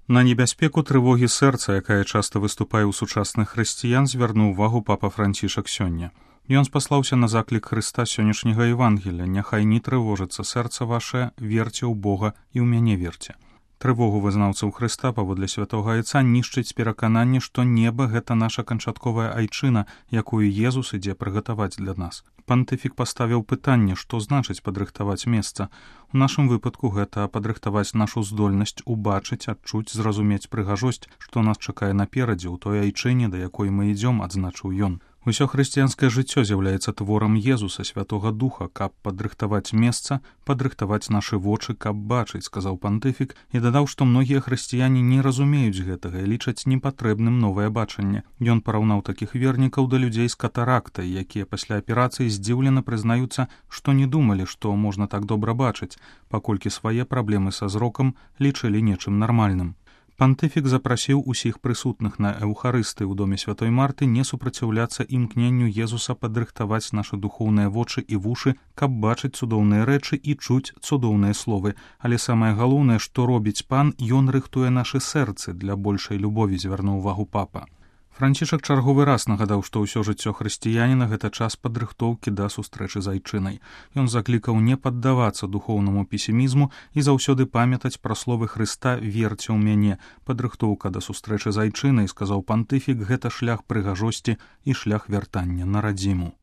На небяспеку трывогі сэрца, якая часта выступае ў сучасных хрысціян, звярнуў увагу папа Францішак сёння. Ён спаслаўся на заклік Хрыста сённяшняга Евангелля: «Няхай не трывожыцца сэрца вашае, верце ў Бога і ў мяне верце». Трывогу вызнаўцаў Хрыста паводле святога Айца нішчыць перакананне, што неба — гэта наша канчатковая айчына, якую Езус ідзе прыгатаваць для нас. Пантыфік паставіў пытанне, што значыць падрыхтаваць месца. У нашым выпадку гэта падрыхтаваць нашу здольнасць убачыць, адчуць, зразумець прыгажосць, што нас чакае наперадзе ў той айчыне, да якой мы ідзём, адзначыў ён. Усё хрысціянскае жыццё з'яўляецца творам Езуса, Святога Духа. Каб падрыхтаваць месца, падрыхтаваць нашы вочы, каб бачыць, сказаў пантыфік, і дадаў, што многія хрысціяне не разумеюць гэтага і лічаць непатрэбным новае бачанне. Ён параўнаў такіх вернікаў да людзей з катарактай, якія пасля аперацыі здзіўлена прызнаюцца, што не думалі, што можна так добра бачыць, паколькі свае праблемы са зрокам лічылі нечым нармальным. Пантыфік запрасіў усіх прысутных на Эўхарысты ў доме святой Марты не супраціўляцца імкненню Езуса падрыхтаваць нашы духоўныя вочы і вушы, каб бачыць цудоўныя рэчы і чуць цудоўныя словы. Але самае галоўнае, што робіць Пан, ён рыхтуе нашы сэрцы для большай любові, звярнуў увагу папа. Францішак чарговы раз нагадаў, што ўсё жыццё хрысціяніна — гэта час падрыхтоўкі да сустрэчы з айчынай. Ён заклікаў не паддавацца духоўнаму песімізму і заўсёды памятаць пра словы Хрыста: «Верце ў мяне». Падрыхтоўка да сустрэчы з айчынай, сказаў пантыфік, гэта шлях прыгажосці і шлях вяртання на радзіму.